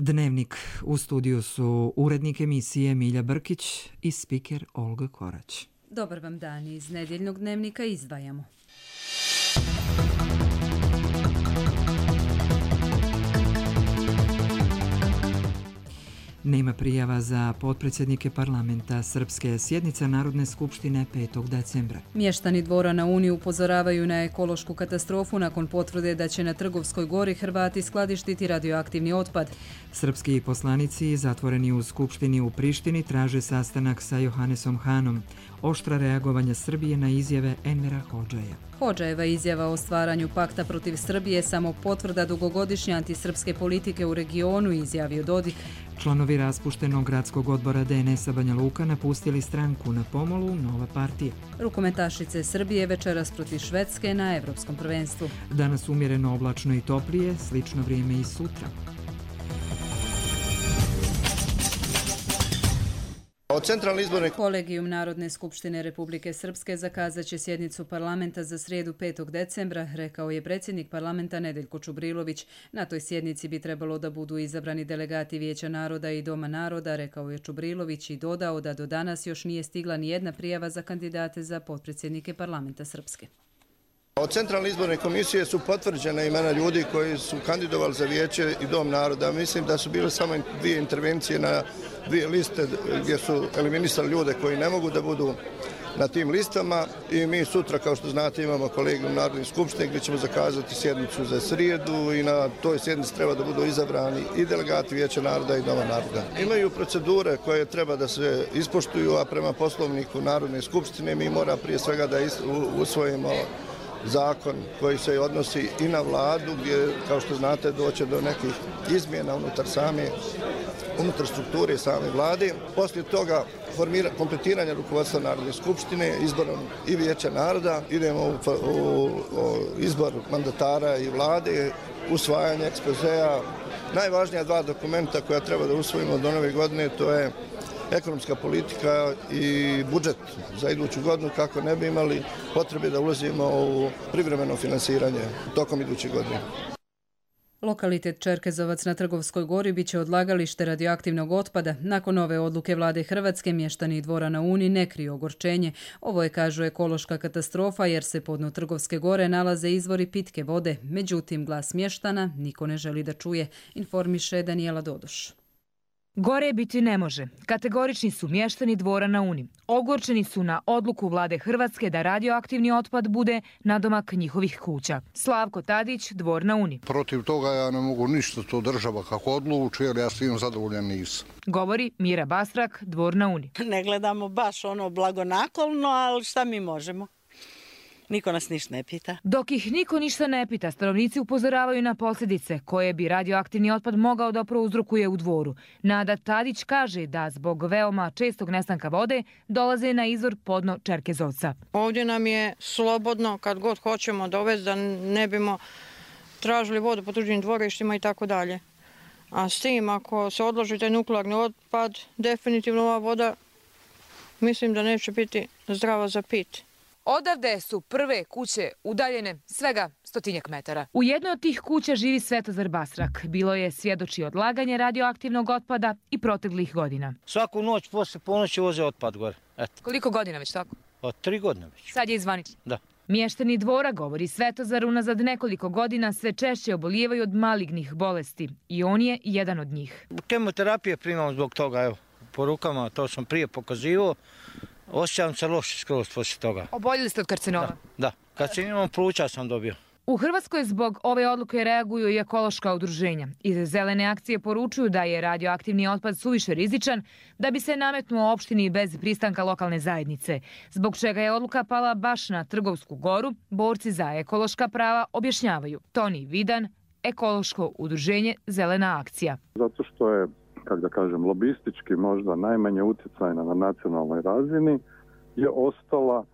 Dnevnik. U studiju su urednik emisije Milja Brkić i spiker Olga Korać. Dobar vam dan, iz nedjeljnog dnevnika izdvajamo. Nema prijava za potpredsjednike parlamenta. Srpske sjednica Narodne skupštine 5. decembra. Mještani Dvora na Uni upozoravaju na ekološku katastrofu nakon potvrde da će na Trgovskoj gori Hrvati skladištiti radioaktivni otpad. Srpski poslanici zatvoreni u Skupštini u Prištini traže sastanak sa Johanesom Hanom. Oštra reagovanja Srbije na izjave Envera Hodžaja. Hodžajeva izjava o stvaranju pakta protiv Srbije samo potvrda dugogodišnje antisrpske politike u regionu, izjavio Dodik. Članovi raspuštenog gradskog odbora DNS-a Banja Luka napustili stranku. Na pomolu nova partija. Rukometašice Srbije večeras protiv Švedske na Evropskom prvenstvu. Danas umjereno oblačno i toplije, slično vrijeme i sutra. Kolegijum Narodne skupštine Republike Srpske zakazat će sjednicu parlamenta za srijedu 5. decembra, rekao je predsjednik parlamenta Nedeljko Čubrilović. Na toj sjednici bi trebalo da budu izabrani delegati Vijeća naroda i Doma naroda, rekao je Čubrilović i dodao da do danas još nije stigla ni jedna prijava za kandidate za potpredsjednike parlamenta Srpske. Od Centralne izborne komisije su potvrđena imena ljudi koji su kandidovali za Vijeće i Dom naroda. Mislim da su bile samo dvije intervencije na dvije liste gdje su eliminisali ljude koji ne mogu da budu na tim listama i mi sutra, kao što znate, imamo kolegijum Narodne skupštine gdje ćemo zakazati sjednicu za srijedu i na toj sjednici treba da budu izabrani i delegati Vijeća naroda i Doma naroda. Imaju procedure koje treba da se ispoštuju, a prema poslovniku Narodne skupštine mi mora prije svega da usvojimo zakon koji se odnosi i na vladu, gdje, kao što znate, doće do nekih izmjena unutar strukture same vlade. Poslije toga kompletiranje rukovodstva Narodne skupštine, izborom i Vijeća naroda, idemo u izbor mandatara i vlade, usvajanje ekspozea. Najvažnija dva dokumenta koja treba da usvojimo do nove godine, to je ekonomska politika i budžet za iduću godinu, kako ne bi imali potrebe da ulazimo u privremeno finansiranje tokom iduće godine. Lokalitet Čerkezovac na Trgovskoj gori biće odlagalište radioaktivnog otpada. Nakon ove odluke vlade Hrvatske, mještani Dvora na Uni ne kriju ogorčenje. Ovo je, kažu, ekološka katastrofa jer se pod dno Trgovske gore nalaze izvori pitke vode. Međutim, glas mještana niko ne želi da čuje, informiše Danijela Dodoš. Gore biti ne može. Kategorični su mještani Dvora na Uni. Ogorčeni su na odluku vlade Hrvatske da radioaktivni otpad bude nadomak njihovih kuća. Slavko Tadić, Dvor na Uni. Protiv toga ja ne mogu ništa, to država kako odluči, jer ja s tim zadovoljan nisam. Govori Mira Bastrak, Dvor na Uni. Ne gledamo baš blagonaklonno, ali šta mi možemo? Niko nas ništa ne pita. Dok ih niko ništa ne pita, stanovnici upozoravaju na posljedice koje bi radioaktivni otpad mogao da prouzrokuje u Dvoru. Nada Tadić kaže da zbog veoma čestog nestanka vode dolaze na izvor podno Čerkezovca. Ovdje nam je slobodno kad god hoćemo dovesti da ne bimo tražili vodu po tuđim dvorištima i tako dalje. A s tim, ako se odloži taj nuklearni otpad, definitivno ova voda mislim da neće biti zdrava za pit. Odavde su prve kuće udaljene svega 100 metara. U jednoj od tih kuća živi Svetozar Basrak. Bilo je svjedoči odlaganje radioaktivnog otpada i proteklih godina. Svaku noć poslije ponoći voze otpad gore. Eto. Koliko godina već tako? 3 godine već. Sad je izvanično? Da. Mještani Dvora, govori Svetozar, unazad nekoliko godina sve češće obolijevaju od malignih bolesti i on je jedan od njih. Kemoterapije primam zbog toga, evo, po rukama, to sam prije pokazivao. Osjećam se loše skroz poslije toga. Oboljeli ste od karcinoma? Da. Karcinom pluća sam dobio. U Hrvatskoj zbog ove odluke reaguju i ekološka udruženja. Iz Zelene akcije poručuju da je radioaktivni otpad suviše rizičan da bi se nametnuo opštini bez pristanka lokalne zajednice. Zbog čega je odluka pala baš na Trgovsku goru, borci za ekološka prava objašnjavaju. Toni Vidan, ekološko udruženje Zelena akcija. Zato što je, kako da kažem, lobistički možda najmanje utjecajna na nacionalnoj razini, je ostala,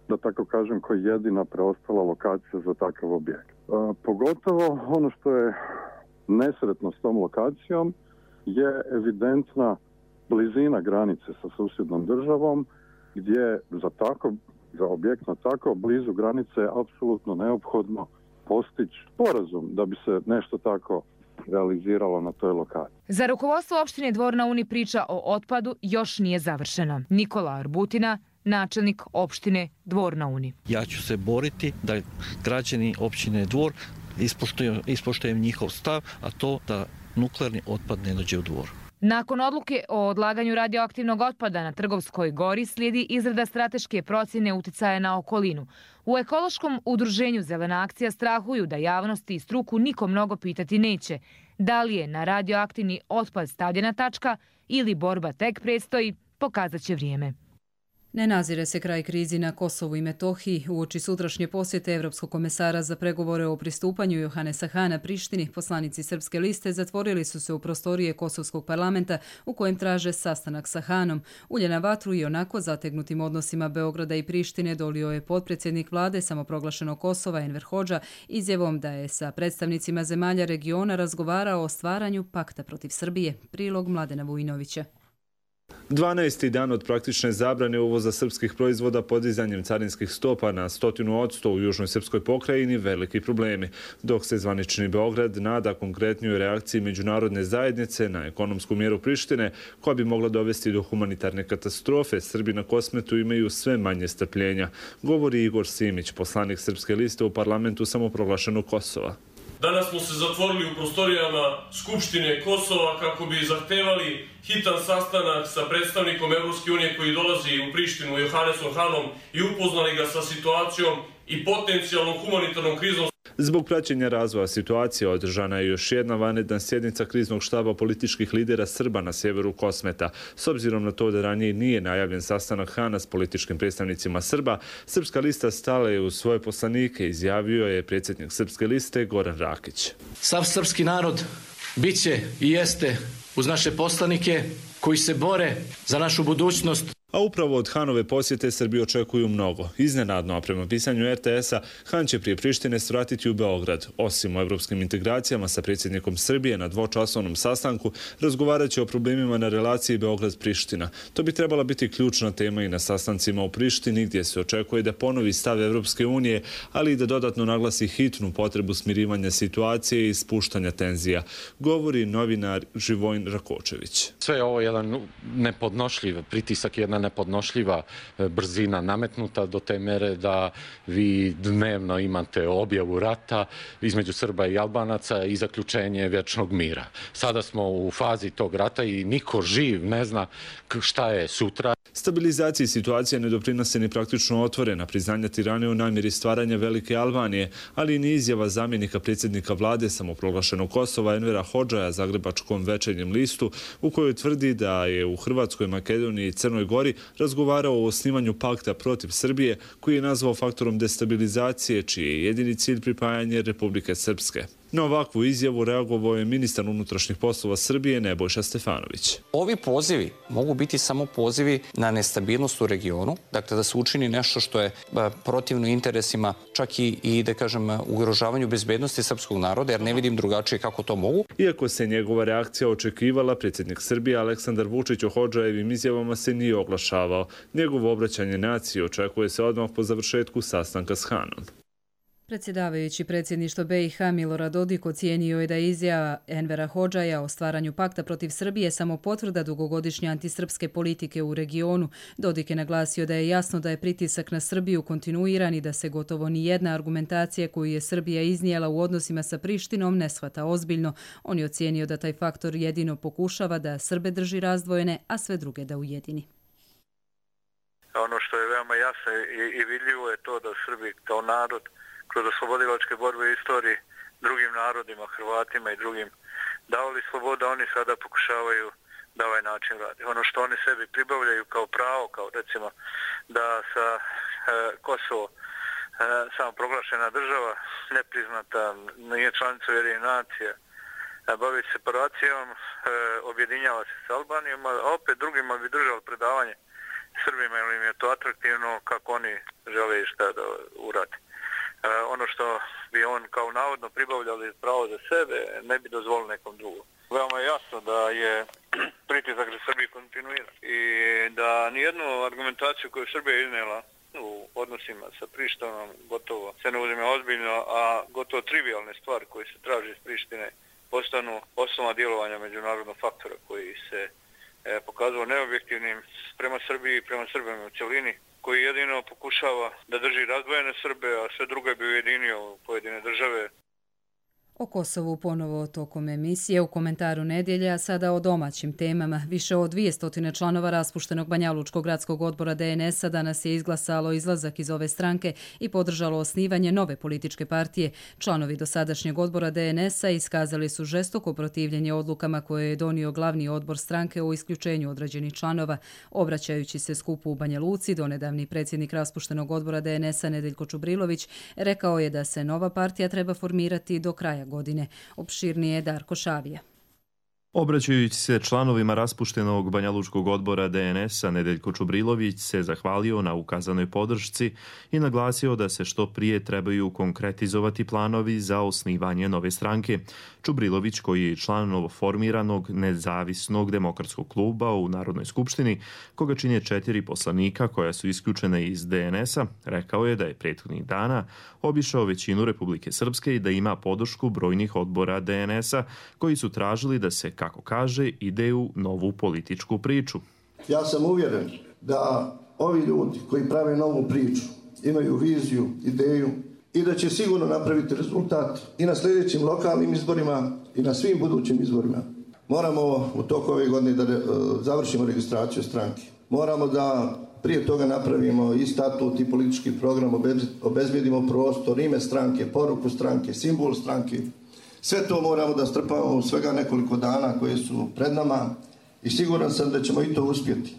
da tako kažem, kao jedina preostala lokacija za takav objekt. Pogotovo ono što je nesretno s tom lokacijom je evidentna blizina granice sa susjednom državom, gdje za objekt na tako blizu granice je apsolutno neophodno postići sporazum da bi se nešto tako realiziralo na toj lokaciji. Za rukovodstvo opštine Dvor na Uni priča o otpadu još nije završena. Nikola Arbutina, načelnik opštine Dvor na Uni. Ja ću se boriti da građani opštine Dvor ispoštujem njihov stav, a to da nuklearni otpad ne dođe u Dvor. Nakon odluke o odlaganju radioaktivnog otpada na Trgovskoj gori slijedi izrada strateške procjene uticaja na okolinu. U ekološkom udruženju Zelena akcija strahuju da javnosti i struku niko mnogo pitati neće. Da li je na radioaktivni otpad stavljena tačka ili borba tek predstoji, pokazat će vrijeme. Ne nazire se kraj krizi na Kosovu i Metohiji. Uoči sutrašnje posjete Evropskog komesara za pregovore o pristupanju Johanesa Hana Prištini, poslanici Srpske liste zatvorili su se u prostorije Kosovskog parlamenta u kojem traže sastanak sa Hanom. Ulje na vatru i onako zategnutim odnosima Beograda i Prištine dolio je potpredsjednik vlade samoproglašenog Kosova Enver Hodža izjavom da je sa predstavnicima zemalja regiona razgovarao o stvaranju pakta protiv Srbije. Prilog Mladena Vujinovića. 12. dan od praktične zabrane uvoza srpskih proizvoda podizanjem carinskih stopa na 100% u južnoj srpskoj pokrajini veliki problemi, dok se zvanični Beograd nada konkretnijoj reakciji međunarodne zajednice na ekonomsku mjeru Prištine koja bi mogla dovesti do humanitarne katastrofe. Srbi na Kosmetu imaju sve manje strpljenja, govori Igor Simić, poslanik Srpske liste u parlamentu samoproglašenog Kosova. Danas smo se zatvorili u prostorijama Skupštine Kosova kako bi zahtevali hitan sastanak sa predstavnikom Evropske unije koji dolazi u Prištinu, Johannesom Hanom, i upoznali ga sa situacijom i potencijalnom humanitarnom krizom. Zbog praćenja razvoja situacije održana je još jedna vanredna sjednica kriznog štaba političkih lidera Srba na sjeveru Kosmeta. S obzirom na to da ranije nije najavljen sastanak Hana s političkim predstavnicima Srba, Srpska lista stala je u svoje poslanike, izjavio je predsjednik Srpske liste Goran Rakić. Sav srpski narod biće i jeste uz naše poslanike koji se bore za našu budućnost. A upravo od Hanove posjete Srbi očekuju mnogo. Iznenadno, a prema pisanju RTS-a, Han će prije Prištine svratiti u Beograd. Osim o evropskim integracijama sa predsjednikom Srbije na dvočasovnom sastanku, razgovarat će o problemima na relaciji Beograd-Priština. To bi trebala biti ključna tema i na sastancima u Prištini, gdje se očekuje da ponovi stav Evropske unije, ali i da dodatno naglasi hitnu potrebu smirivanja situacije i spuštanja tenzija, govori novinar Živojin Rakočević. Sve je ovo jedan nepodnošljiv pritisak, jedna nepodnošljiva brzina nametnuta do te mere da vi dnevno imate objavu rata između Srba i Albanaca i zaključenje vječnog mira. Sada smo u fazi tog rata i niko živ ne zna šta je sutra. Stabilizaciji situacije ne doprinose ni praktično otvorena priznanja Tirane u namjeri stvaranja Velike Albanije, ali i ni izjava zamjenika predsjednika vlade samoproglašenog Kosova Envera Hodžaja Zagrebačkom Večernjem listu, u kojoj tvrdi da je u Hrvatskoj, Makedoniji i Crnoj Gori razgovarao o osnivanju pakta protiv Srbije, koji je nazvao faktorom destabilizacije, čiji je jedini cilj pripajanje Republike Srpske. Na ovakvu izjavu reagovao je ministar unutrašnjih poslova Srbije Nebojša Stefanović. Ovi pozivi mogu biti samo pozivi na nestabilnost u regionu, dakle da se učini nešto što je protivno interesima, čak i da kažem ugrožavanju bezbednosti srpskog naroda, jer ne vidim drugačije kako to mogu. Iako se njegova reakcija očekivala, predsjednik Srbije Aleksandar Vučić o Hodžajevim izjavama se nije oglašavao. Njegovo obraćanje naciji očekuje se odmah po završetku sastanka s Hanom. Predsjedavajući predsjedništvo BiH Milorad Dodik ocijenio je da je izjava Envera Hodžaja o stvaranju pakta protiv Srbije samo potvrda dugogodišnje antisrpske politike u regionu. Dodik je naglasio da je jasno da je pritisak na Srbiju kontinuiran i da se gotovo ni jedna argumentacija koju je Srbija iznijela u odnosima sa Prištinom ne shvata ozbiljno. On je ocijenio da taj faktor jedino pokušava da Srbe drži razdvojene, a sve druge da ujedini. Ono što je veoma jasno i vidljivo je to da Srbi kao narod kroz oslobodilačke borbe u istoriji drugim narodima, Hrvatima i drugim davali sloboda, oni sada pokušavaju da ovaj način radi. Ono što oni sebi pribavljaju kao pravo, kao recimo da sa Kosovo samo proglašena država, nepriznata, nije članica Ujedinjenih nacija, bavi se separacijom, objedinjava se s Albanijom, a opet drugima bi držali predavanje Srbima, jer im je to atraktivno kako oni žele i šta da uradi. Ono što bi on kao navodno pribavljali pravo za sebe, ne bi dozvolio nekom drugom. Veoma je jasno da je pritisak za Srbiju kontinuiran i da nijednu argumentaciju koju Srbija iznijela u odnosima sa Prištinom gotovo se ne uzme ozbiljno, a gotovo trivialne stvari koje se traže iz Prištine postanu osnova djelovanja međunarodnog faktora koji se pokazao neobjektivnim prema Srbiji i prema Srbima u cjelini, koji jedino pokušava da drži razdvojene Srbe, a sve druge bi ujedinio pojedine države. O Kosovu ponovo tokom emisije u komentaru nedjelje, a sada o domaćim temama. Više od 200 članova raspuštenog Banjalučkog gradskog odbora DNS-a danas je izglasalo izlazak iz ove stranke i podržalo osnivanje nove političke partije. Članovi dosadašnjeg odbora DNS-a iskazali su žestoko protivljenje odlukama koje je donio glavni odbor stranke o isključenju određenih članova. Obraćajući se skupu u Banja Luci, donedavni predsjednik raspuštenog odbora DNS-a Nedeljko Čubrilović rekao je da se nova partija treba formirati do kraja godine. Opširnije Darko Šavija. Obraćajući se članovima raspuštenog Banjalučkog odbora DNS-a, Nedeljko Čubrilović se zahvalio na ukazanoj podršci i naglasio da se što prije trebaju konkretizovati planovi za osnivanje nove stranke. Čubrilović, koji je član novoformiranog nezavisnog demokratskog kluba u Narodnoj skupštini, koga čine 4 poslanika koja su isključene iz DNS-a, rekao je da je prethodnih dana obišao većinu Republike Srpske i da ima podršku brojnih odbora DNS-a koji su tražili da se, kako kaže, ide u novu političku priču. Ja sam uvjeren da ovi ljudi koji prave novu priču imaju viziju, ideju i da će sigurno napraviti rezultat i na sljedećim lokalnim izborima i na svim budućim izborima. Moramo u toku ove godine da završimo registraciju stranke. Moramo da prije toga napravimo i statut i politički program, obezbedimo prostor, ime stranke, poruku stranke, simbol stranke. Sve to moramo da strpamo u svega nekoliko dana koje su pred nama i siguran sam da ćemo i to uspjeti.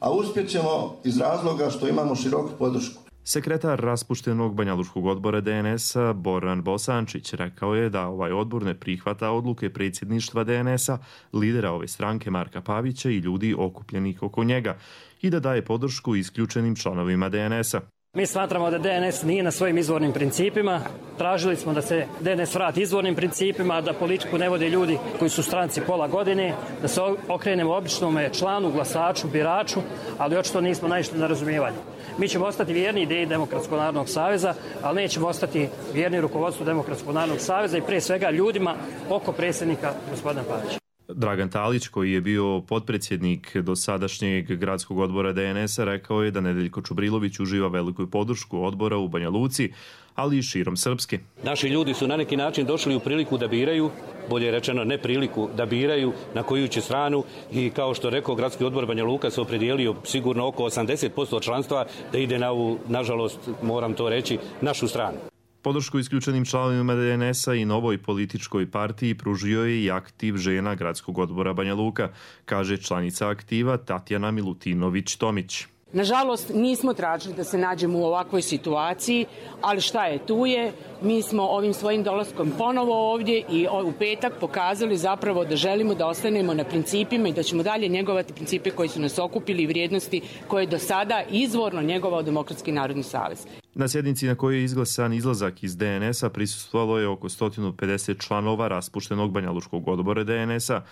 A uspjet ćemo iz razloga što imamo široku podršku. Sekretar raspuštenog Banjalučkog odbora DNS-a Boran Bosančić rekao je da ovaj odbor ne prihvata odluke predsjedništva DNS-a, lidera ove stranke Marka Pavića i ljudi okupljenih oko njega i da daje podršku isključenim članovima DNS-a. Mi smatramo da DNS nije na svojim izvornim principima. Tražili smo da se DNS vrati izvornim principima, da politiku ne vode ljudi koji su stranci pola godine, da se okrenemo običnom članu, glasaču, biraču, ali očito nismo naišli na razumijevanje. Mi ćemo ostati vjerni ideji Demokratskog narodnog saveza, ali nećemo ostati vjerni rukovodstvu Demokratskog narodnog saveza i prije svega ljudima oko predsjednika gospodina Pavića. Dragan Talić, koji je bio potpredsjednik dosadašnjeg gradskog odbora DNS-a, rekao je da Nedeljko Čubrilović uživa veliku podršku odbora u Banja Luci, ali i širom Srpske. Naši ljudi su na neki način došli u priliku da biraju, bolje rečeno ne priliku, da biraju na koju će stranu i kao što rekao gradski odbor Banja Luka se opredijelio sigurno oko 80% članstva da ide na ovu, nažalost, moram to reći, našu stranu. Podršku isključenim članovima DNS-a i novoj političkoj partiji pružio je i aktiv žena gradskog odbora Banja Luka, kaže članica aktiva Tatjana Milutinović-Tomić. Nažalost, nismo tražili da se nađemo u ovakvoj situaciji, ali šta je tu je. Mi smo ovim svojim dolaskom ponovo ovdje i u petak pokazali zapravo da želimo da ostanemo na principima i da ćemo dalje njegovati principe koji su nas okupili i vrijednosti koje je do sada izvorno njegovao Demokratski narodni savez. Na sjednici na kojoj je izglasan izlazak iz DNS-a prisustvovalo je oko 150 članova raspuštenog Banjalučkog odbora DNS-a,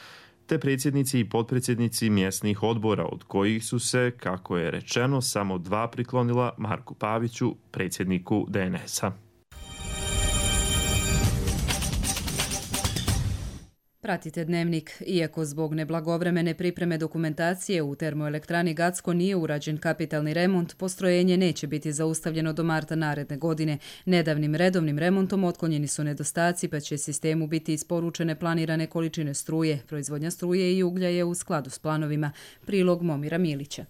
te predsjednici i potpredsjednici mjesnih odbora, od kojih su se, kako je rečeno, samo 2 priklonila Marku Paviću, predsjedniku DNS-a. Pratite Dnevnik. Iako zbog neblagovremene pripreme dokumentacije u termoelektrani Gacko nije urađen kapitalni remont, postrojenje neće biti zaustavljeno do marta naredne godine. Nedavnim redovnim remontom otklonjeni su nedostaci, pa će sistemu biti isporučene planirane količine struje. Proizvodnja struje i uglja je u skladu s planovima. Prilog Momira Milića.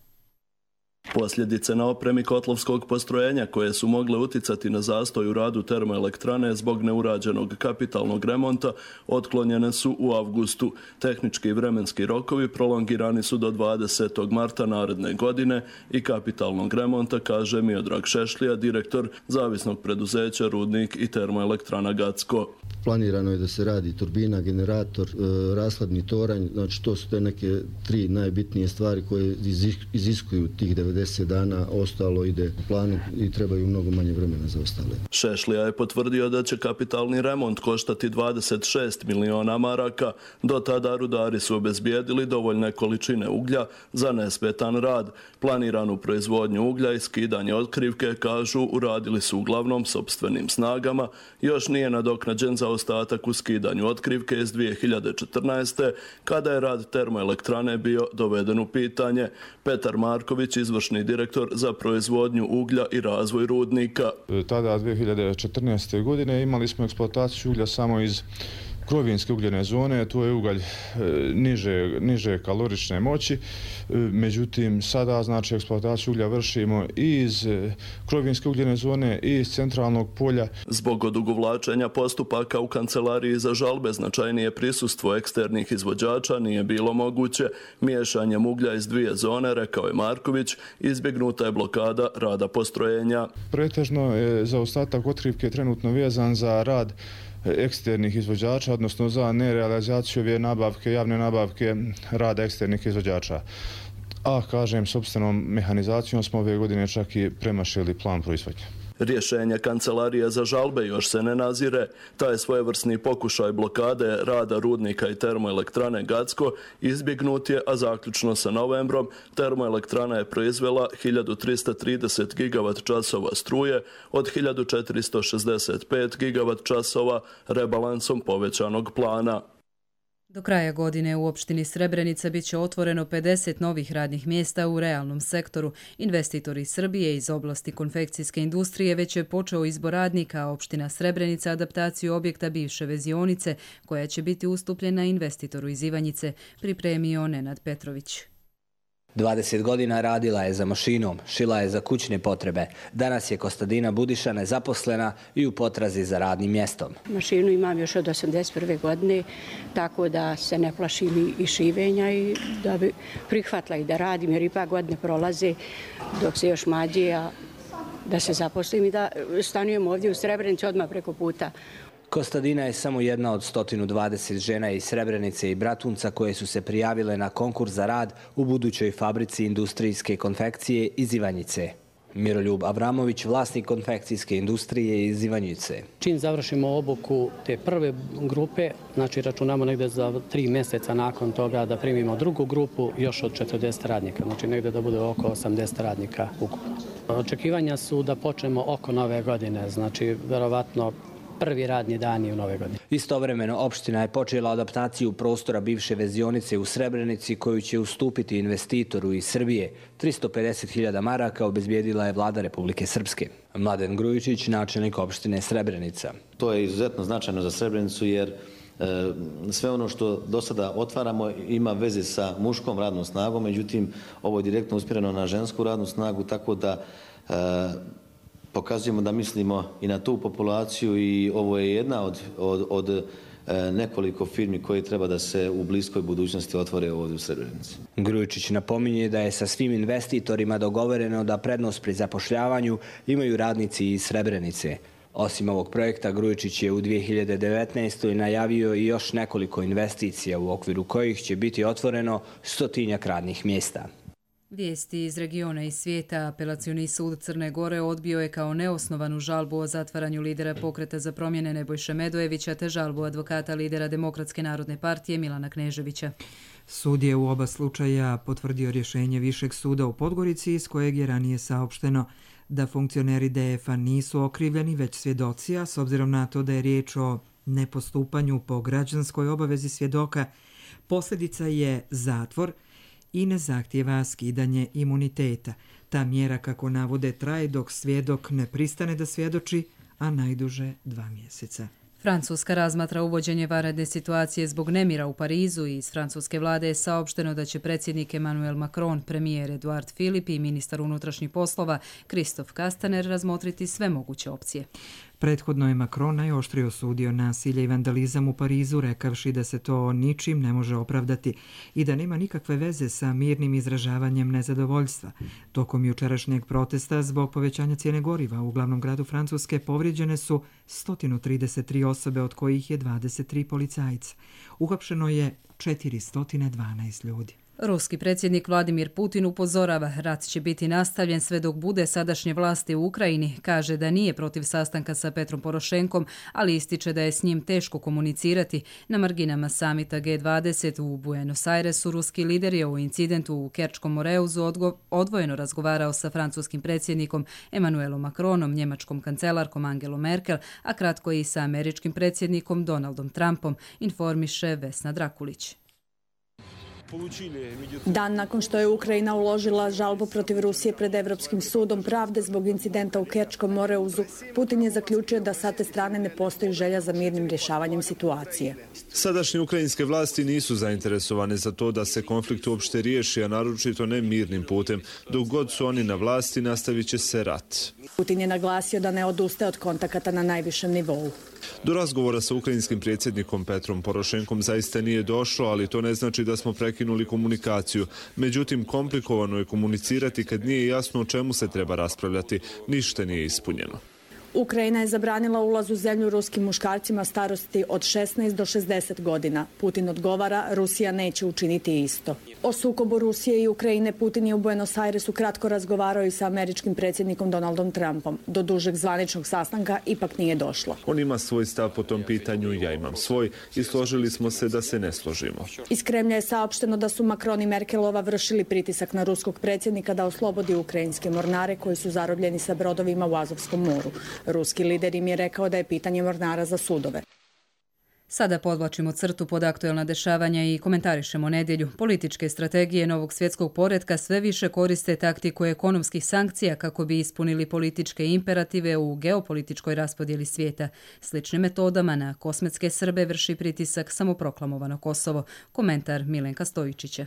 Posljedice na opremi kotlovskog postrojenja koje su mogle uticati na zastoj u radu termoelektrane zbog neurađenog kapitalnog remonta otklonjene su u avgustu. Tehnički i vremenski rokovi prolongirani su do 20. marta naredne godine i kapitalnog remonta, kaže Miodrag Šešlija, direktor zavisnog preduzeća Rudnik i termoelektrana Gacko. Planirano je da se radi turbina, generator, rashladni toranj, znači to su te neke 3 najbitnije stvari koje iziskuju tih 90 90 dana, ostalo ide u planu i trebaju mnogo manje vremena za ostale. Šešlija je potvrdio da će kapitalni remont koštati 26 miliona maraka. Do tada rudari su obezbijedili dovoljne količine uglja za nesmetan rad. Planiranu proizvodnju uglja i skidanje otkrivke, kažu, uradili su uglavnom sopstvenim snagama. Još nije nadoknađen zaostatak u skidanju otkrivke iz 2014. kada je rad termoelektrane bio doveden u pitanje. Petar Marković, izvršni direktor za proizvodnju uglja i razvoj rudnika. Tada, 2014. godine, imali smo eksploataciju uglja samo iz krovinske ugljene zone, tu je ugalj niže kalorične moći, međutim sada znači eksploataciju uglja vršimo i iz krovinske ugljene zone i iz centralnog polja. Zbog odugovlačenja postupaka u kancelariji za žalbe značajnije prisustvo eksternih izvođača nije bilo moguće. Miješanjem uglja iz dvije zone, rekao je Marković, izbjegnuta je blokada rada postrojenja. Pretežno je zaostatak otkrivke trenutno vezan za rad eksternih izvođača, odnosno za nerealizaciju ove nabavke, javne nabavke rada eksternih izvođača. A, kažem, sopstvenom mehanizacijom smo ove godine čak i premašili plan proizvodnje. Rješenje kancelarije za žalbe još se ne nazire. Taj svojevrsni pokušaj blokade rada rudnika i termoelektrane Gacko izbjegnut je, a zaključno sa novembrom termoelektrana je proizvela 1330 gigavat časova struje od 1465 gigavat časova rebalansom povećanog plana. Do kraja godine u opštini Srebrenica bit će otvoreno 50 novih radnih mjesta u realnom sektoru. Investitori iz Srbije iz oblasti konfekcijske industrije već je počeo izbor radnika, a opština Srebrenica adaptaciju objekta bivše vezionice, koja će biti ustupljena investitoru iz Ivanjice, pripremio Nenad Petrović. 20 godina radila je za mašinom, šila je za kućne potrebe. Danas je Kostadina Budiša nezaposlena i u potrazi za radnim mjestom. Mašinu imam još od 81. godine, tako da se ne plašim i šivenja i da bi prihvatila i da radim, jer ipak godine prolaze dok se još mlađe, a da se zaposlim i da stanujem ovdje u Srebrenici odmah preko puta. Kostadina je samo jedna od 120 žena iz Srebrenice i Bratunca koje su se prijavile na konkurs za rad u budućoj fabrici industrijske konfekcije iz Ivanjice. Miroljub Avramović, vlasnik konfekcijske industrije iz Ivanjice. Čim završimo obuku te prve grupe, znači računamo negdje za 3 mjeseca nakon toga da primimo drugu grupu još od 40 radnika, znači negdje da bude oko 80 radnika ukupno. Očekivanja su da počnemo oko nove godine, znači verovatno prvi radni dani u nove godine. Istovremeno, opština je počela adaptaciju prostora bivše vezionice u Srebrenici koju će ustupiti investitoru iz Srbije. 350.000 maraka obezbijedila je vlada Republike Srpske. Mladen Grujičić, načelnik opštine Srebrenica. To je izuzetno značajno za Srebrenicu jer sve ono što do sada otvaramo ima veze sa muškom radnom snagom, međutim ovo je direktno usmjereno na žensku radnu snagu, tako da pokazujemo da mislimo i na tu populaciju i ovo je jedna od nekoliko firmi koje treba da se u bliskoj budućnosti otvore ovdje u Srebrenici. Grujičić napominje da je sa svim investitorima dogovoreno da prednost pri zapošljavanju imaju radnici iz Srebrenice. Osim ovog projekta, Grujičić je u 2019. najavio i još nekoliko investicija u okviru kojih će biti otvoreno 100-tinjak radnih mjesta. Vijesti iz regiona i svijeta. Apelacioni sud Crne Gore odbio je kao neosnovanu žalbu o zatvaranju lidera Pokreta za promjene Nebojše Medojevića te žalbu advokata lidera Demokratske narodne partije Milana Kneževića. Sud je u oba slučaja potvrdio rješenje Višeg suda u Podgorici iz kojeg je ranije saopšteno da funkcioneri DF-a nisu okrivljeni već svjedoci, a s obzirom na to da je riječ o nepostupanju po građanskoj obavezi svjedoka, posljedica je zatvor i ne zahtijeva skidanje imuniteta. Ta mjera, kako navode, traje dok svjedok ne pristane da svjedoči, a najduže 2 mjeseca. Francuska razmatra uvođenje vanredne situacije zbog nemira u Parizu i iz francuske vlade je saopšteno da će predsjednik Emmanuel Macron, premijer Edouard Philippe i ministar unutrašnjih poslova Christophe Castaner razmotriti sve moguće opcije. Prethodno je Macron najoštrije osudio nasilje i vandalizam u Parizu, rekavši da se to ničim ne može opravdati i da nema nikakve veze sa mirnim izražavanjem nezadovoljstva. Tokom jučerašnjeg protesta zbog povećanja cijene goriva u glavnom gradu Francuske povrijeđene su 133 osobe, od kojih je 23 policajca. Uhapšeno je 412 ljudi. Ruski predsjednik Vladimir Putin upozorava, rat će biti nastavljen sve dok bude sadašnje vlasti u Ukrajini. Kaže da nije protiv sastanka sa Petrom Porošenkom, ali ističe da je s njim teško komunicirati. Na marginama samita G20 u Buenos Airesu ruski lider je o incidentu u Kerčkom Moreuzu odvojeno razgovarao sa francuskim predsjednikom Emmanuelom Macronom, njemačkom kancelarkom Angelom Merkel, a kratko i sa američkim predsjednikom Donaldom Trumpom, informiše Vesna Drakulić. Dan nakon što je Ukrajina uložila žalbu protiv Rusije pred Evropskim sudom pravde zbog incidenta u Kerčkom Moreuzu, Putin je zaključio da sa te strane ne postoji želja za mirnim rješavanjem situacije. Sadašnje ukrajinske vlasti nisu zainteresovane za to da se konflikt uopšte riješi, a naročito ne mirnim putem. Dok god su oni na vlasti, nastavit će se rat. Putin je naglasio da ne odustaje od kontakata na najvišem nivou. Do razgovora sa ukrajinskim predsjednikom Petrom Porošenkom zaista nije došlo, ali to ne znači da smo prekinuli komunikaciju. Međutim, komplikovano je komunicirati kad nije jasno o čemu se treba raspravljati. Ništa nije ispunjeno. Ukrajina je zabranila ulaz u zemlju ruskim muškarcima starosti od 16 do 60 godina. Putin odgovara, Rusija neće učiniti isto. O sukobu Rusije i Ukrajine Putin je u Buenos Airesu kratko razgovarao i sa američkim predsjednikom Donaldom Trumpom. Do dužeg zvaničnog sastanka ipak nije došlo. On ima svoj stav po tom pitanju, ja imam svoj i složili smo se da se ne složimo. Iz Kremlja je saopšteno da su Macron i Merkelova vršili pritisak na ruskog predsjednika da oslobodi ukrajinske mornare koji su zarobljeni sa brodovima u Azovskom moru. Ruski lider im je rekao da je pitanje mornara za sudove. Sada podvlačimo crtu pod aktuelna dešavanja i komentarišemo nedjelju. Političke strategije novog svjetskog poretka sve više koriste taktiku ekonomskih sankcija kako bi ispunili političke imperative u geopolitičkoj raspodjeli svijeta. Sličnim metodama na kosmetske Srbe vrši pritisak samoproklamovano Kosovo. Komentar Milenka Stojičića.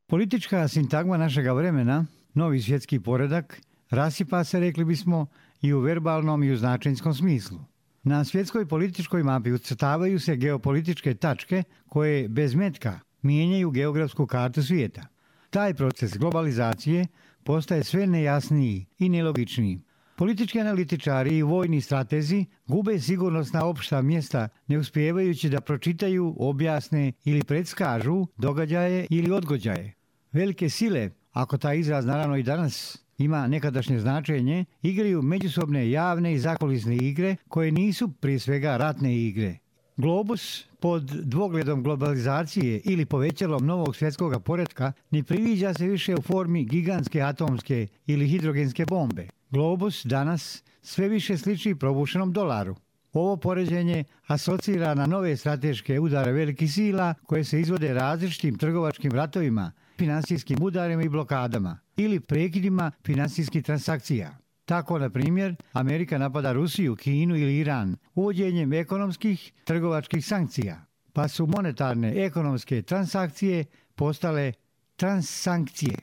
Politička sintagma našega vremena, novi svjetski poredak, rasipa se, rekli bismo, i u verbalnom i u značenjskom smislu. Na svjetskoj političkoj mapi ucrtavaju se geopolitičke tačke koje bez metka mijenjaju geografsku kartu svijeta. Taj proces globalizacije postaje sve nejasniji i nelogičniji. Politički analitičari i vojni stratezi gube sigurnosna opšta mjesta ne uspijevajući da pročitaju, objasne ili predskažu događaje ili odgođaje. Velike sile, ako taj izraz naravno i danas ima nekadašnje značenje, igraju međusobne javne i zakulisne igre koje nisu prije svega ratne igre. Globus pod dvogledom globalizacije ili povećalom novog svjetskog poretka ne priviđa se više u formi gigantske atomske ili hidrogenske bombe. Globus danas sve više sliči probušenom dolaru. Ovo poređenje asocira na nove strateške udare velikih sila koje se izvode različitim trgovačkim ratovima, finansijskim udarima i blokadama ili prekidima finansijskih transakcija. Tako, na primjer, Amerika napada Rusiju, Kinu ili Iran uvođenjem ekonomskih trgovačkih sankcija, pa su monetarne ekonomske transakcije postale transsankcije.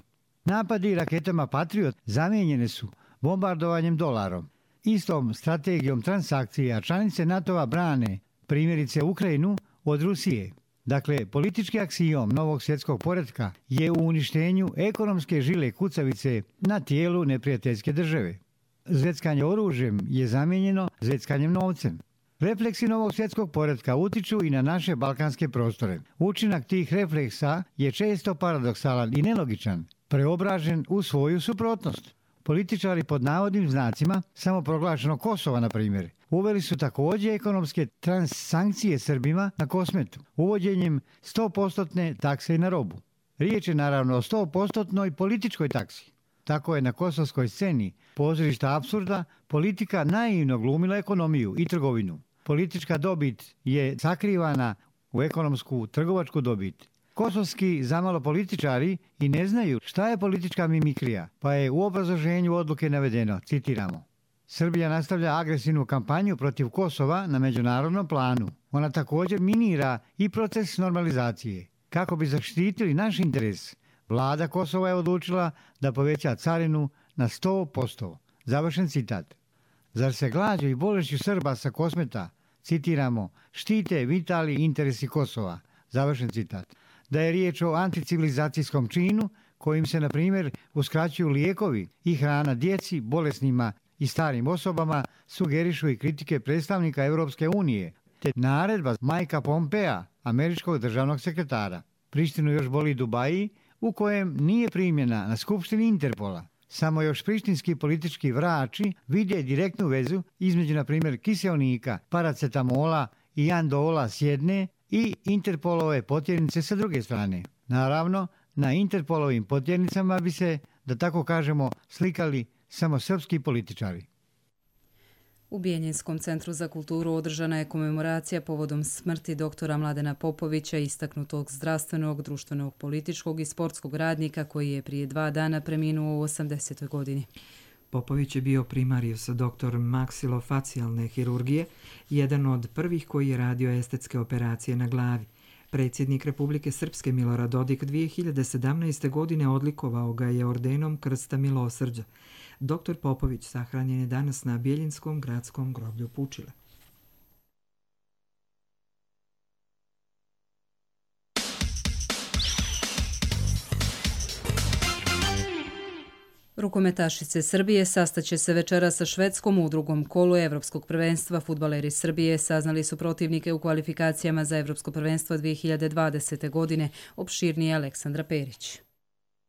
Napadi raketama Patriot zamijenjene su bombardovanjem dolarom. Istom strategijom transakcija članice NATO-a brane, primjerice Ukrajinu, od Rusije. Dakle, politički aksijom novog svjetskog poretka je u uništenju ekonomske žile kucavice na tijelu neprijateljske države. Zveckanje oružjem je zamijenjeno zveckanjem novcem. Refleksi novog svjetskog poretka utiču i na naše balkanske prostore. Učinak tih refleksa je često paradoksalan i nelogičan, preobražen u svoju suprotnost. Političari pod navodnim znacima samoproglašenog Kosova, na primjer, uveli su također ekonomske transsankcije Srbima na Kosmetu, uvođenjem 100% takse na robu. Riječ je naravno o 100% političkoj taksi. Tako je na kosovskoj sceni pozorišta apsurda politika naivno glumila ekonomiju i trgovinu. Politička dobit je sakrivana u ekonomsku trgovačku dobit. Kosovski zamalo političari i ne znaju šta je politička mimikrija, pa je u obrazloženju odluke navedeno, citiramo: Srbija nastavlja agresivnu kampanju protiv Kosova na međunarodnom planu. Ona također minira i proces normalizacije. Kako bi zaštitili naš interes, vlada Kosova je odlučila da poveća carinu na 100%. Završen citat. Zar se glađu i bolešću Srba sa Kosmeta, citiramo, štite vitali interesi Kosova? Završen citat. Da je riječ o anticivilizacijskom činu kojim se, na primjer, uskraćuju lijekovi i hrana djeci, bolesnima i starim osobama, sugerišu i kritike predstavnika Europske unije, te naredba Majka Pompea, američkog državnog sekretara. Prištinu još boli Dubaji, u kojem nije primjena na Skupštini Interpola. Samo još prištinski politički vrači vide direktnu vezu između, na primjer, kiseonika, paracetamola i andola s jedne i Interpolove potjernice sa druge strane. Naravno, na Interpolovim potjernicama bi se, da tako kažemo, slikali samo srpski političari. U Bijeljinskom centru za kulturu održana je komemoracija povodom smrti doktora Mladena Popovića, istaknutog zdravstvenog, društvenog, političkog i sportskog radnika koji je prije 2 dana preminuo u 80. godini. Popović je bio primarijus, doktor maksilofacijalne hirurgije, jedan od prvih koji je radio estetske operacije na glavi. Predsjednik Republike Srpske Milorad Dodik 2017. godine odlikovao ga je ordenom Krsta milosrđa. Doktor Popović sahranjen je danas na Bijeljinskom gradskom groblju Pučile. Rukometašice Srbije sastaće se večera sa Švedskom u drugom kolu Evropskog prvenstva. Fudbaleri Srbije saznali su protivnike u kvalifikacijama za Evropsko prvenstvo 2020. godine, opširnije Aleksandra Perić.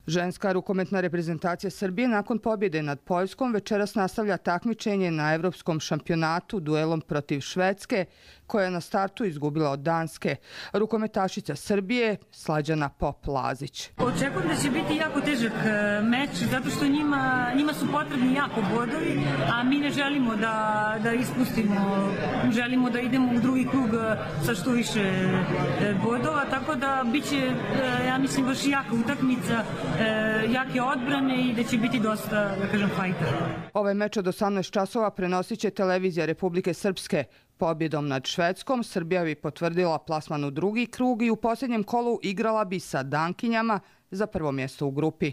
Ženska rukometna reprezentacija Srbije nakon pobjede nad Poljskom večeras nastavlja takmičenje na evropskom šampionatu duelom protiv Švedske, koja je na startu izgubila od Danske. Rukometašica Srbije Slađana Pop-Lazić. Očekujem da će biti jako težak meč, zato što njima su potrebni jako bodovi, a mi ne želimo da ispustimo. Želimo da idemo u drugi krug sa što više bodova, tako da biće, ja mislim, baš jaka utakmica, jake odbrane i da će biti dosta, da kažem, fajta. Ovaj meč od 18 časova prenosit će televizija Republike Srpske. Pobjedom nad Švedskom Srbija bi potvrdila plasman u drugi krug i u posljednjem kolu igrala bi sa Dankinjama za prvo mjesto u grupi.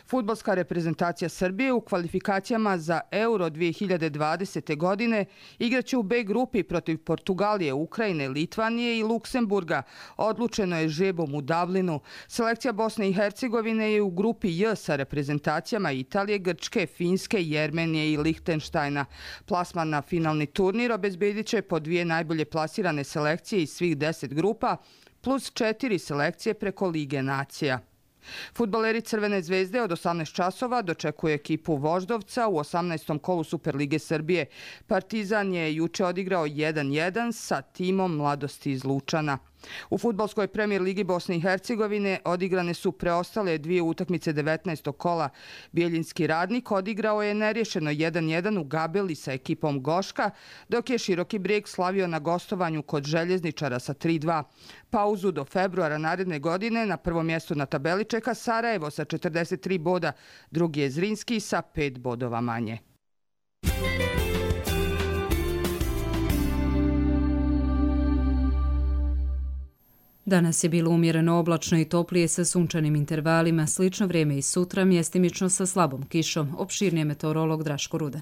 Fudbalska reprezentacija Srbije u kvalifikacijama za Euro 2020. godine igraće u B grupi protiv Portugalije, Ukrajine, Litvanije i Luksemburga. Odlučeno je žrebom u Dublinu. Selekcija Bosne i Hercegovine je u grupi J sa reprezentacijama Italije, Grčke, Finske, Jermenije i Lihtenštajna. Plasman na finalni turnir obezbedit će po 2 najbolje plasirane selekcije iz svih 10 grupa plus 4 selekcije preko Lige nacija. Fudbaleri Crvene zvezde od 18 časova dočekuje ekipu Voždovca u 18. kolu Superlige Srbije. Partizan je juče odigrao 1-1 sa timom Mladosti iz Lučana. U fudbalskoj premijer ligi Bosne i Hercegovine odigrane su preostale 2 utakmice 19. kola. Bijeljinski Radnik odigrao je nerješeno 1-1 u Gabeli sa ekipom Goška, dok je Široki Brijeg slavio na gostovanju kod Željezničara sa 3-2. Pauzu do februara naredne godine na prvom mjestu na tabeli čeka Sarajevo sa 43 boda, drugi je Zrinski sa 5 bodova manje. Danas je bilo umjereno oblačno i toplije sa sunčanim intervalima, slično vrijeme i sutra, mjestimično sa slabom kišom, opširnije meteorolog Draško Rudan.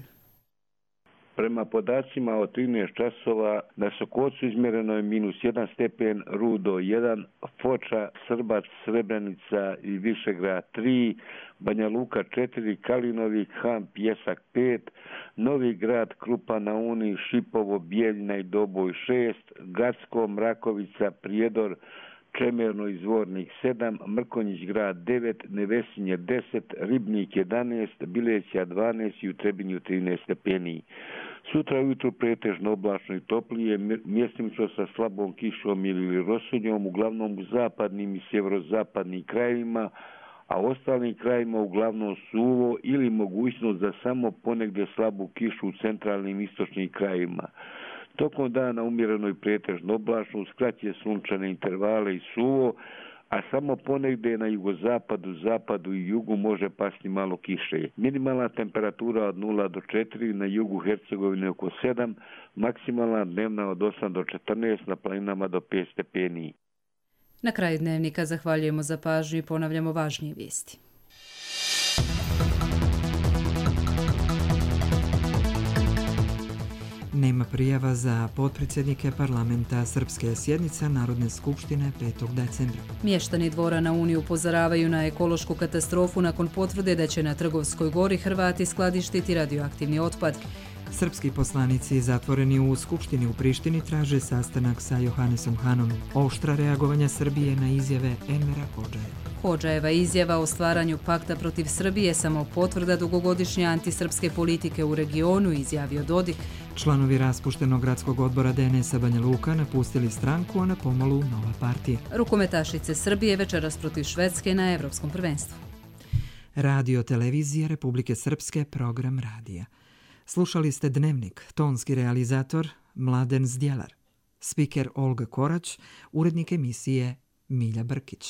Prema podacima od 13 časova na Sokocu izmjereno je -1 stepen, Rudo 1, Foča, Srbac, Srebrenica i Višegrad 3, Banja Luka 4, Kalinovik, Han, Pjesak 5, Novi Grad, Krupa na Uni, Šipovo, Bijeljina i Doboj 6, Gacko, Mrakovica, Prijedor, Čemerno i Zvornik 7, Mrkonjić grad 9, Nevesinje 10, Ribnik 11, Bileća 12 i u Trebinju 13 stepeni. Sutra ujutru pretežno oblačno i toplije, mjestimično sa slabom kišom ili rosunjom, uglavnom u zapadnim i sjeverozapadnim krajevima, a ostalim krajima uglavnom suvo ili mogućnost za samo ponegdje slabu kišu u centralnim i istočnim krajevima. Tokom dana umjereno i pretežno oblačno, uz kraće sunčane intervale i suvo, a samo ponegdje na jugozapadu, zapadu i jugu može pasti malo kiše. Minimalna temperatura od 0 do 4, na jugu Hercegovine oko 7, maksimalna dnevna od 8 do 14, na planinama do 5 stepeni. Na kraju dnevnika zahvaljujemo za pažnju i ponavljamo važnije vijesti. Nema prijava za potpredsjednike parlamenta. Srpske sjednica Narodne skupštine 5. decembra. Mještani Dvora na Uni upozoravaju na ekološku katastrofu nakon potvrde da će na Trgovskoj gori Hrvati skladištiti radioaktivni otpad. Srpski poslanici zatvoreni u Skupštini u Prištini traže sastanak sa Johannesom Hanom. Oštra reagovanja Srbije na izjave Envera Hodžaja. Hodžajeva izjava o stvaranju pakta protiv Srbije samo potvrda dugogodišnje antisrpske politike u regionu, izjavio Dodik. Članovi raspuštenog gradskog odbora DNS-a Banja Luka napustili stranku, a na pomolu nova partija. Rukometašice Srbije večeras protiv Švedske na Evropskom prvenstvu. Radio televizija Republike Srpske, program radija. Slušali ste Dnevnik, tonski realizator Mladen Zdjelar, spiker Olga Korać, urednik emisije Milja Brkić.